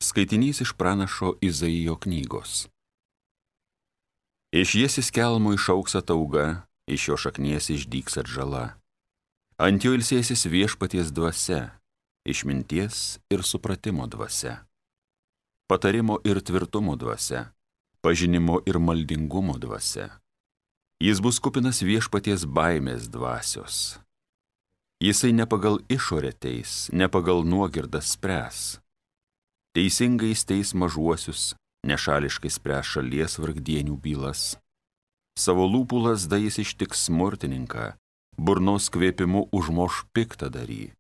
Skaitinys iš pranašo Izaijo knygos. Iš Jėsis kelmo išauks atauga, iš jo šaknies išdygs atžala. Ant jo ilsėsis viešpaties dvasia, išminties ir supratimo dvasia. Patarimo ir tvirtumo dvasia, pažinimo ir maldingumo dvasia. Jis bus kupinas viešpaties baimės dvasios. Jisai ne pagal išorę teis, ne pagal nuogirdą spręs. Teisingai teis mažuosius, nešališkai spręs šalies vargdienių bylas. Savo lūpų lazda jis ištiks smurtininką, burnos kvėpimu užmoš piktadarį.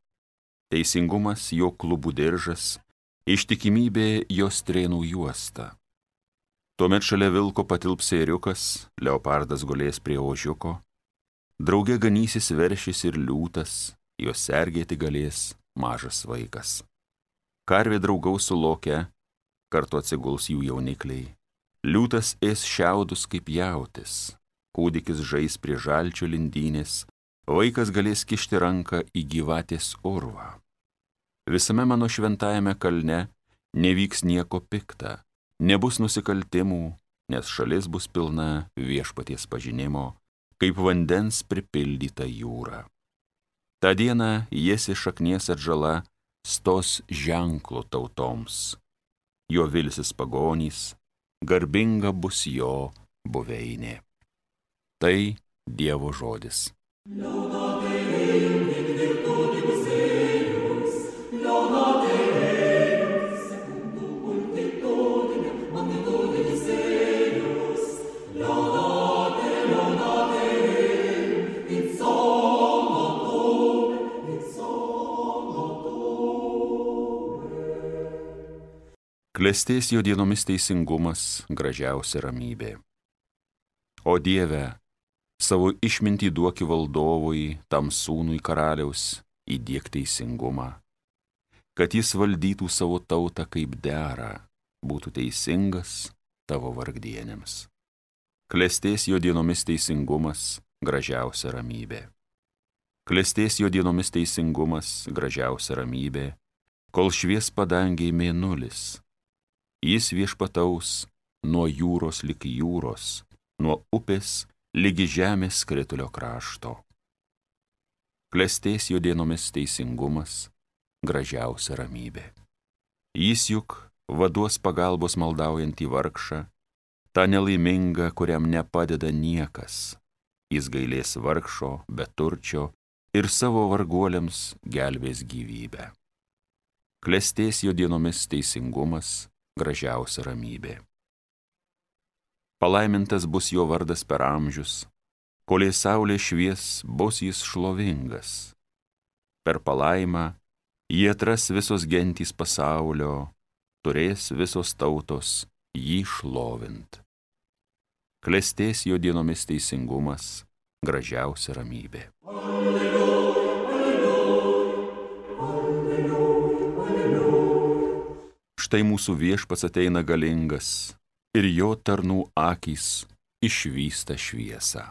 Teisingumas jo klubų diržas, ištikimybė jo strėnų juosta. Tuomet šalia vilko patilps ėriukas, leopardas gulės prie ožiuko. Drauge ganysis veršis ir liūtas, jos sergėti galės mažas vaikas. Karvė draugaus su loke, kartu atsiguls jų jaunikliai. Liūtas ės šiaudus kaip jautis, kūdikis žais prie žalčio lindynės, vaikas galės kišti ranką į gyvatės urvą. Visame mano šventajame kalne nevyks nieko pikta, nebus nusikaltimų, nes šalis bus pilna viešpaties pažinimo, kaip vandens pripildyta jūra. Ta diena Jėsi šaknies atžala stos ženklu tautoms. Jo vilsis pagonys, garbinga bus jo buveinė. Tai Dievo žodis. Klestės jo dienomis teisingumas, gražiausia ramybė. O Dieve, savo išmintį duoki valdovui, tam sūnui karaliaus, įdiek teisingumą, kad jis valdytų savo tautą kaip dera, būtų teisingas tavo vargdienėms. Klestės jo dienomis teisingumas, gražiausia ramybė. Klestės jo dienomis teisingumas, gražiausia ramybė, kol švies padangiai mėnulis. Jis viešpataus nuo jūros lig jūros, nuo upės ligi žemės skritulio krašto. Klestės jo dienomis teisingumas, gražiausia ramybė. Jis juk vaduos pagalbos maldaujantį vargšą, tą nelaimingą, kuriam nepadeda niekas. Jis gailės vargšo, beturčio ir savo varguoliams gelbės gyvybę. Klestės jo dienomis teisingumas, gražiausia ramybė. Palaimintas bus jo vardas per amžius, kolei saulė švies, bus jis šlovingas. Per palaimą jį atras visos gentys pasaulio, turės visos tautos jį šlovint. Klestės jo dienomis teisingumas, gražiausia ramybė. Štai mūsų viešpats ateina galingas ir jo tarnų akys išvysta šviesą.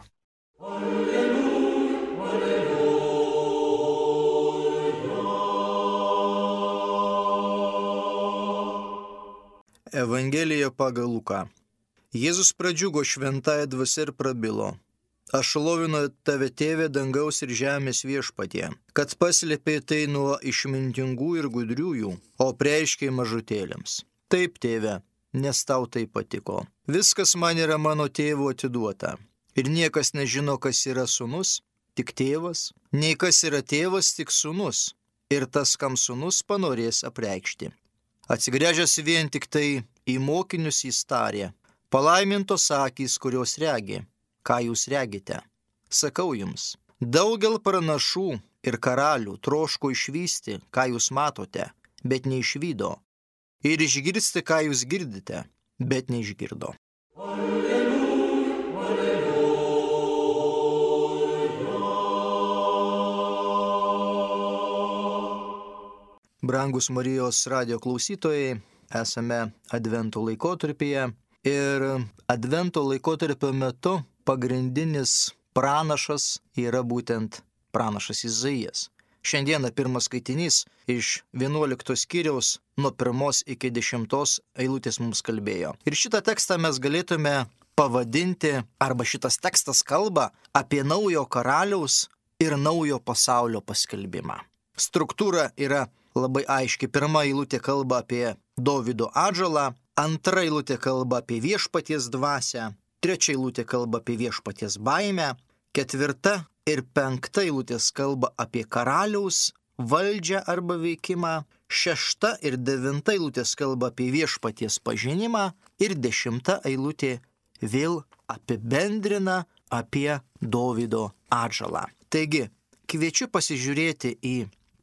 Evangelija pagal Luką. Jėzus pradžiugo šventąja dvasia ir prabilo: Aš šlovinu tave, tėve, dangaus ir žemės viešpatie, kad paslėpė tai nuo išmintingų ir gudriųjų, o preiškė mažutėliams. Taip, tėve, nes tau tai patiko. Viskas man yra mano tėvo atiduota. Ir niekas nežino, kas yra sūnus, tik tėvas, nei kas yra tėvas, tik sūnus, ir tas, kam sūnus panorės apreikšti. Atsigręžęs vien tik tai į mokinius jis tarė: Palaimintos akys, kurios regi. Ką jūs regite? Sakau jums, daugel pranašų ir karalių troško išvysti, ką jūs matote, bet neišvydo, ir išgirsti, ką jūs girdite, bet neišgirdo. Alleluja, alleluja. Brangus Marijos radijo klausytojai, esame Advento laikotarpyje ir Advento laikotarpio metu pagrindinis pranašas yra būtent pranašas Izaijas. Šiandieną pirmas skaitinys iš 11 skyriaus nuo 1 iki 10 eilutės mums kalbėjo. Ir šitą tekstą mes galėtume pavadinti, arba šitas tekstas kalba apie naujo karaliaus ir naujo pasaulio paskelbimą. Struktūra yra labai aiški. Pirma eilutė kalba apie Dovydo atžalą, antra eilutė kalba apie viešpaties dvasią, trečia eilutė kalba apie viešpaties baimę, ketvirta ir penkta eilutės kalba apie karaliaus valdžią arba veikimą, šešta ir devinta eilutės kalba apie viešpaties pažinimą ir 10 eilutė vėl apibendrina apie Dovydo atžalą. Taigi, kviečiu pasižiūrėti į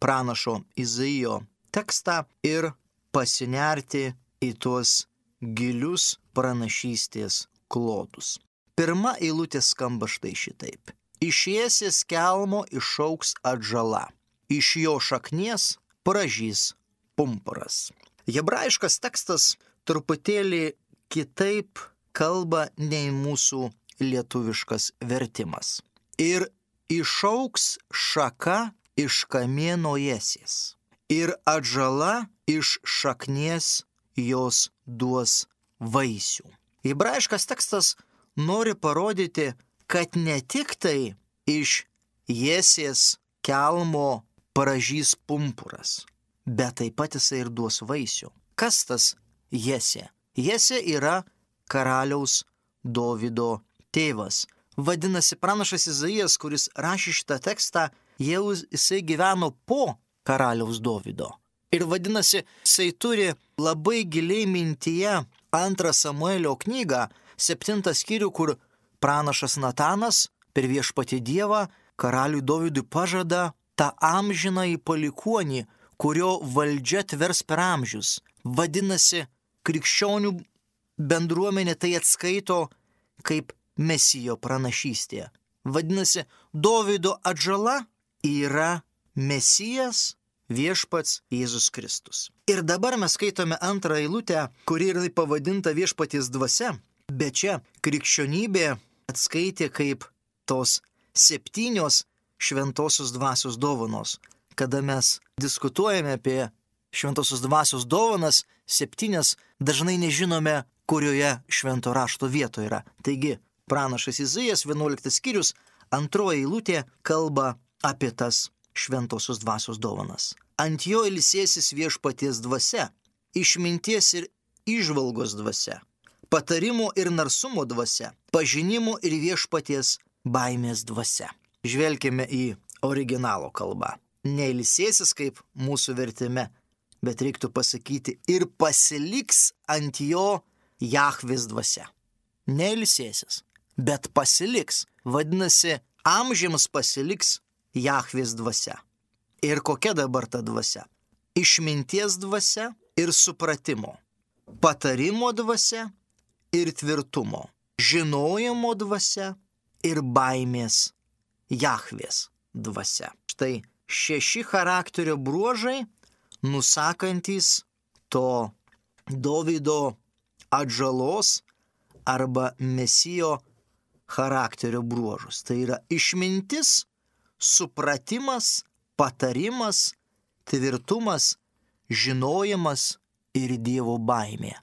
pranašo Izaijo tekstą ir pasinerti į tuos gilius pranašystės klodus. Pirma eilutė skamba štai šitaip. Iš Jesės kelmo išauks atžala, iš jo šaknies pražys pumpuras. Hebrajiškas tekstas truputėlį kitaip kalba nei mūsų lietuviškas vertimas. Ir išauks šaka iš kamieno Jesės, ir atžala iš šaknies jos duos vaisių. Hebrajiškas tekstas nori parodyti, kad ne tik tai iš Jesės kelmo pražys pumpuras, bet taip pat jisai ir duos vaisių. Kas tas Jesė? Jesė yra karaliaus Dovydo tėvas. Vadinasi, pranašas Izaijas, kuris rašė šitą tekstą, jau jisai gyveno po karaliaus Dovydo. Ir vadinasi, jisai turi labai giliai mintyje 2 Samuelio knygą, 7 skyrių, kur pranašas Natanas per viešpatį Dievą karaliui Dovydui pažada tą amžinąjį palikuonį, kurio valdžia tvers per amžius. Vadinasi, krikščionių bendruomenė tai atskaito kaip Mesijo pranašystė. Vadinasi, Dovydo atžala yra Mesijas, viešpats Jėzus Kristus. Ir dabar mes skaitome antrą eilutę, kuri yra pavadinta viešpaties dvasia, bet čia krikščionybė atskaitė kaip tos 7 šventosios dvasios dovanos. Kada mes diskutuojame apie šventosios dvasios dovanas, 7 dažnai nežinome, kurioje švento rašto vietoje yra. Taigi, pranašas Izaijas 11 skyrius, 2 eilutė kalba apie tas šventosios dvasios dovanas. Ant jo ilsėsis viešpaties dvasia, išminties ir įžvalgos dvasia, patarimo ir narsumo dvasia, pažinimo ir viešpaties baimės dvasia. Žvelkime į originalo kalbą. Ne ilsėsis kaip mūsų vertime, bet reiktų pasakyti ir pasiliks ant jo Jahvės dvasia. Ne ilsėsis, bet pasiliks. Vadinasi, amžiams pasiliks Jahvės dvasia. Ir kokia dabar ta dvasia? Išminties dvasia ir supratimo, patarimo dvasia ir tvirtumo, žinojimo dvasia ir baimės Jahvės dvasia. Štai 6 charakterio bruožai, nusakantys to Dovydo atžalos arba Mesijo charakterio bruožus. Tai yra išmintis, supratimas, patarimas, tvirtumas, žinojimas ir Dievo baimė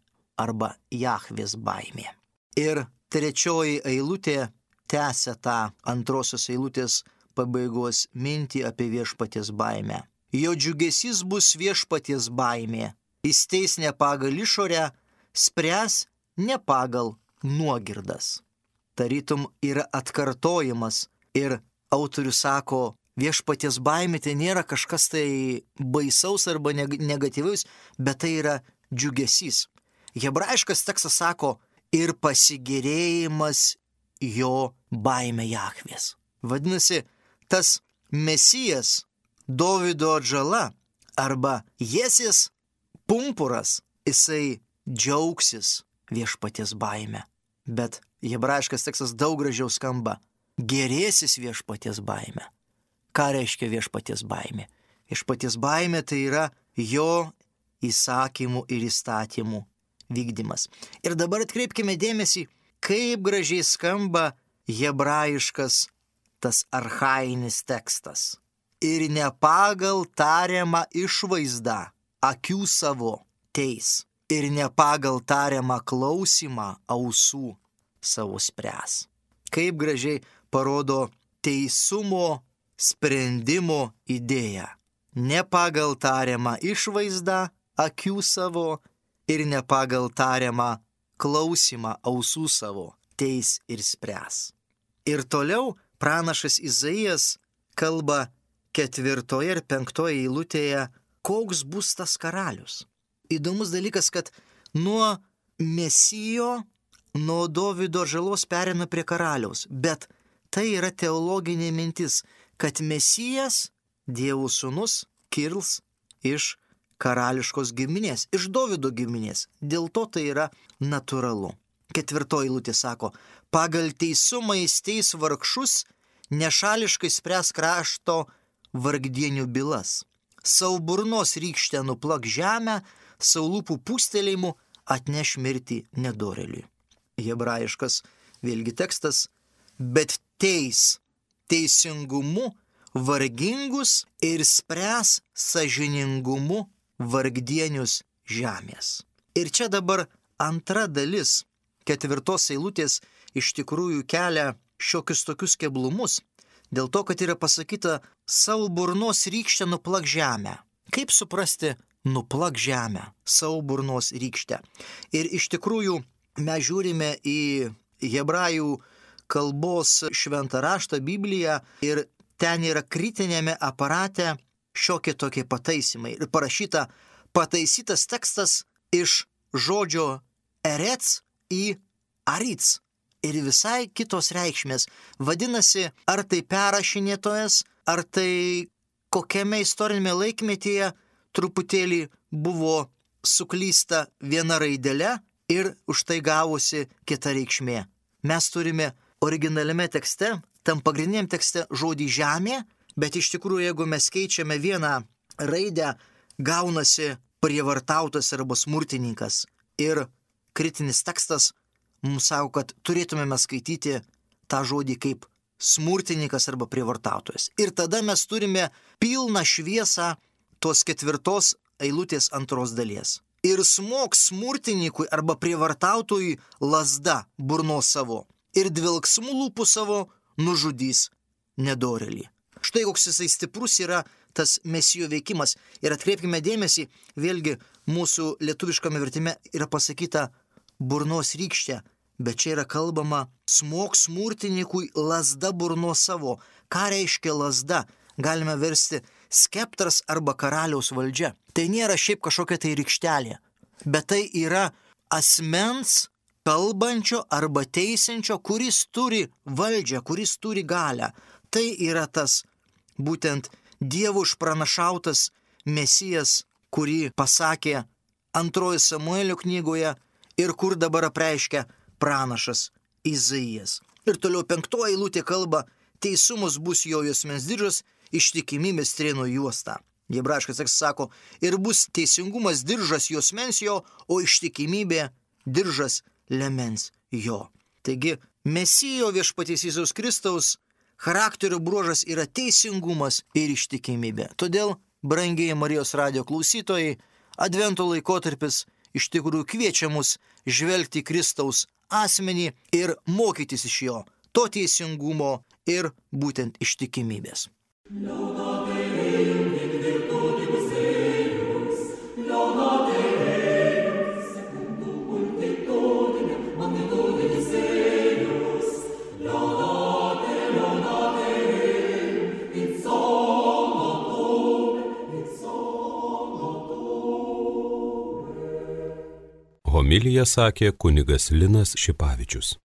arba Jahvės baimė. Ir 3 eilutė tęsia tą 2 eilutės pabaigos mintį apie viešpaties baimę. Jo džiugesys bus viešpaties baimė. Jis teis ne pagal išorę, spręs ne pagal nuogirdas. Tarytum yra atkartojimas ir autorius sako, viešpaties baimė tai nėra kažkas tai baisaus arba negatyvaus, bet tai yra džiugesys. Hebrajiškas tekstas sako ir pasigėrėjimas jo baimė Jahvės. Vadinasi, tas Mesijas, Dovydo atžala arba Jesės pumpuras, jisai džiaugsis viešpaties baimę. Bet hebrajiškas tekstas daug gražiau skamba. Gerėsis viešpaties baimę. Ką reiškia viešpaties baimė? Viešpaties baimė tai yra jo įsakymų ir įstatymų vykdymas. Ir dabar atkreipkime dėmesį, kaip gražiai skamba hebrajiškas tas archainis tekstas. ir ne pagal tariamą išvaizdą akių savo teis, ir ne pagal tariamą klausimą ausų savo spręs. Kaip gražiai parodo teisumo sprendimo idėją. Ne pagal tariamą išvaizdą akių savo ir ne pagal tariamą klausimą ausų savo teis ir spręs. Ir toliau pranašas Izaijas kalba 4 ir 5 eilutėje, koks bus tas karalius. Įdomus dalykas, kad nuo Mesijo, nuo Dovydo žalos pereina prie karaliaus, bet tai yra teologinė mintis, kad Mesijas, Dievo sūnus, kils iš karališkos giminės, iš Dovydo giminės. Dėl to tai yra natūralu. 4 eilutė sako, pagal teisumą jis teis vargšus, nešališkai spręs krašto vargdienių bylas. Savo burnos rykštę nuplak žemę, savo lūpų pūstelėjimu atneš mirtį nedorėliui. Hebrajiškas vėlgi tekstas, bet teis teisingumu vargingus ir spręs sąžiningumu vargdienius žemės. Ir čia dabar antra dalis 4 eilutės iš tikrųjų kelia šiokius tokius keblumus, dėl to, kad yra pasakyta savo burnos rykštę nuplak žemę. Kaip suprasti nuplak žemę, savo burnos rykštę? Ir iš tikrųjų mes žiūrime į hebrajų kalbos šventą raštą Bibliją ir ten yra kritinėme aparate šiokie tokie pataisimai. Ir parašyta pataisytas tekstas iš žodžio erets į arits. Ir visai kitos reikšmės. Vadinasi, ar tai perrašinėtojas, ar tai kokiame istorinėme laikmetyje truputėlį buvo suklysta viena raidelė ir už tai gavosi kita reikšmė. Mes turime originaliame tekste, tam pagrindiniam tekste žodį žemė, bet iš tikrųjų, jeigu mes keičiame vieną raidę, gaunasi prievartautas arba smurtininkas. Ir kritinis tekstas mums sako, kad turėtumėme skaityti tą žodį kaip smurtininkas arba prievartautojas. Ir tada mes turime pilną šviesą tos 4 eilutės 2 dalies. Ir smogs smurtininkui arba prievartautojui lazda burnos savo ir dvelksmų lūpų savo nužudys nedorėlį. Štai koks jisai stiprus yra tas Mesijo veikimas. Ir atkreipkime dėmesį, vėlgi mūsų lietuviškame vertime yra pasakyta burnos rykštė, bet čia yra kalbama smogs smurtininkui lazda burnos savo. Ką reiškia lazda? Galime versti skeptras arba karaliaus valdžia. Tai nėra šiaip kažkokia tai rykštelė, bet tai yra asmens kalbančio arba teisinčio, kuris turi valdžią, kuris turi galią. Tai yra tas būtent Dievo išpranašautas Mesijas, kurį pasakė 2 Samuelio knygoje ir kur dabar apreiškia pranašas Izaijas. Ir toliau 5 eilutė kalba, teisumas bus jo juosmens diržas, ištikimybės strėno juosta. Hebrajiškas tekstas sako, ir bus teisingumas diržas juosmens jo, o ištikimybė diržas liemens jo. Taigi, Mesijo viešpaties Jėzaus Kristaus charakterio bruožas yra teisingumas ir ištikimybė. Todėl, brangieji Marijos radijo klausytojai, Advento laikotarpis iš tikrųjų kviečia mus žvelgti Kristaus asmenį ir mokytis iš jo, to teisingumo ir būtent ištikimybės. Homiliją sakė kunigas Linas Šipavičius.